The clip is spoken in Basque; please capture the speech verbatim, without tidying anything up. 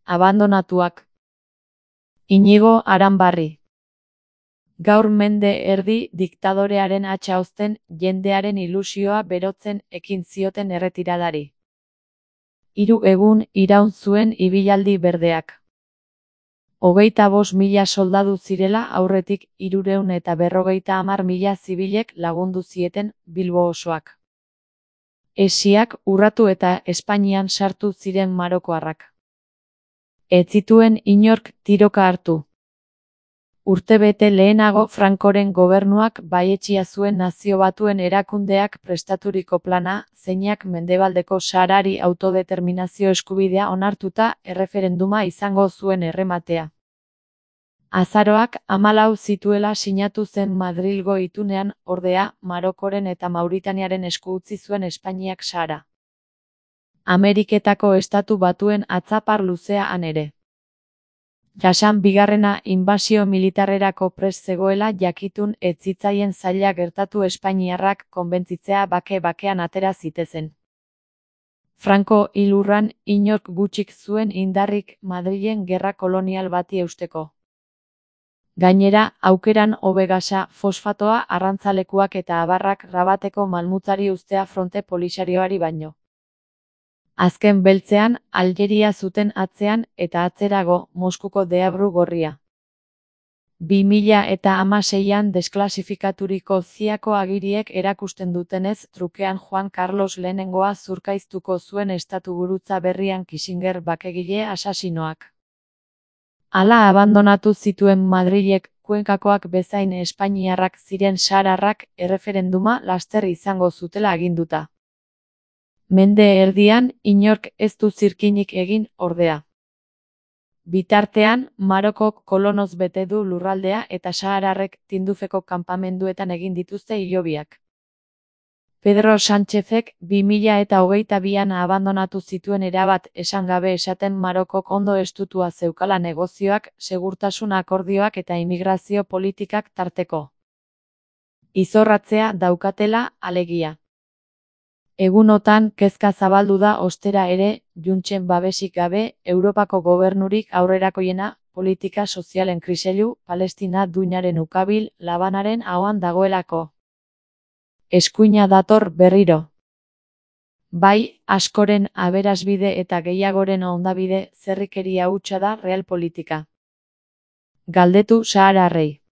Abandonatuak. Inigo Aranbarri. Gaur mende erdi diktadorearen hatsa hozten, jendearen ilusioa berotzen ekin zioten erretiradari. Hiru egun iraun zuen ibilaldi berdeak. Hogeita bost mila soldadu zirela aurretik hirurehun eta berrogeita hamar mila zibilek lagundu zieten Bilbo osoak. Hesiak urratu eta Espainian sartu ziren marokoarrak. Ez zituen inork tiroka hartu. Urtebete lehenago Francoren gobernuak baietsia zuen Nazio Batuen erakundeak prestaturiko plana, zeinak Mendebaldeko Saharari autodeterminazio eskubidea onartuta erreferenduma izango zuen errematea. Azaroak hamalau zituela sinatu zen Madrilgo itunean, ordea, Marokoren eta Mauritaniaren esku utzi zuen Espainiak Sahara. Ameriketako Estatu Batuen atzapar luzea han ere. Jasan bigarrena inbasio militarrerako prest zegoela jakitun ez zitzaien zaila gertatu espainiarrak konbentzitzea bake-bakean atera zitezen. Franco hil hurran inork gutxik zuen indarrik Madrilen gerra kolonial bati eusteko. Gainera, aukeran hobe gasa, fosfatoa, arrantzalekuak eta abarrak Rabateko malmutzari uztea fronte polisarioari baino. Azken beltzean, Aljeria zuten atzean eta atzerago, Moskuko deabru gorria. Bi mila eta hamaseian desklasifikaturiko ziako agiriek erakusten dutenez, trukean Juan Carlos lehenengoa zurkaiztuko zuen estatuburutza berrian Kissinger bakegile asasinoak. Hala abandonatu zituen Madrilek, Kuenkakoak bezain espainiarrak ziren sahararrak erreferenduma laster izango zutela aginduta. Mende erdian, inork ez du zirkinik egin, ordea. Bitartean, Marokok kolonoz bete du lurraldea eta sahararrek Tindufeko kanpamenduetan egin dituzte hilobiak. Pedro Sánchezek bi mila eta hogeita bian abandonatu zituen erabat esan gabe esaten Marokok ondo estutua zeukala negozioak, segurtasun akordioak eta immigrazio politikak tarteko. Izorratzea daukatela, alegia. Egunotan kezka zabaldu da ostera ere, Juntsen babesik gabe, Europako gobernurik aurrerakoiena, politika sozialen kriseilu, Palestina duinaren ukabil, labanaren ahoan dagoelako. Eskuina dator berriro. Bai, askoren aberasbide eta gehiagoren ondabide, zerrikeria hutsa da realpolitika. Galdetu sahararrei.